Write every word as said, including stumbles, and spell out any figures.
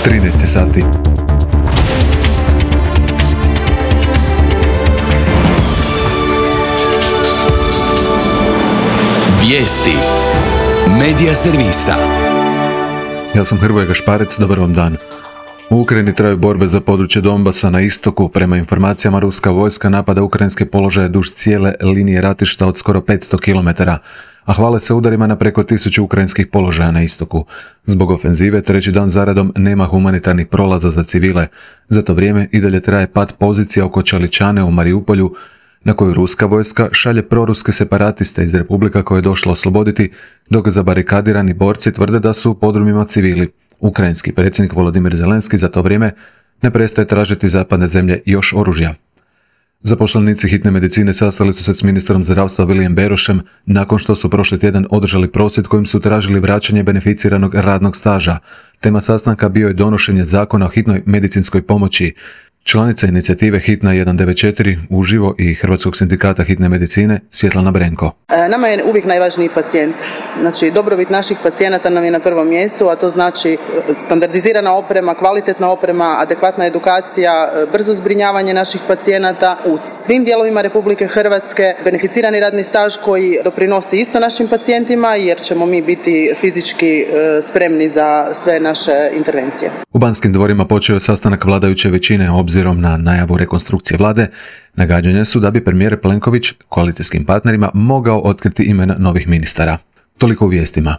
trinaest sati. Vijesti Medija servisa. Ja sam Hrvoje Gašparec, dobar vam dan. U Ukrajini traju borbe za područje Donbasa na istoku. Prema informacijama, ruska vojska napada ukrajinske položaje duž cijele linije ratišta od skoro petsto kilometara, a hvale se udarima na preko tisuću ukrajinskih položaja na istoku. Zbog ofenzive treći dan zaredom nema humanitarnih prolaza za civile. Za to vrijeme i dalje traje pad pozicija oko Čaličane u Mariupolju, na koju ruska vojska šalje proruske separatiste iz republika koje je došlo osloboditi, dok zabarikadirani borci tvrde da su u podrumima civili. Ukrajinski predsjednik Volodimir Zelenski za to vrijeme ne prestaje tražiti zapadne zemlje još oružja. Zaposlenici hitne medicine sastali su se s ministrom zdravstva Vilijem Berošem nakon što su prošli tjedan održali prosvjed kojim su tražili vraćanje beneficiranog radnog staža. Tema sastanka bio je donošenje zakona o hitnoj medicinskoj pomoći. Članica inicijative Hitna jedan devet četiri uživo i Hrvatskog sindikata hitne medicine Svjetlana Brenko. Nama je uvijek najvažniji pacijent. Znači, dobrobit naših pacijenata nam je na prvom mjestu, a to znači standardizirana oprema, kvalitetna oprema, adekvatna edukacija, brzo zbrinjavanje naših pacijenata u svim dijelovima Republike Hrvatske, beneficirani radni staž koji doprinosi isto našim pacijentima jer ćemo mi biti fizički spremni za sve naše intervencije. U Banskim dvorima počeo je sastanak vladajuće većine. Obzirom na najavu rekonstrukcije vlade, nagađanja su da bi premijer Plenković koalicijskim partnerima mogao otkriti imena novih ministara. Toliko u vijestima.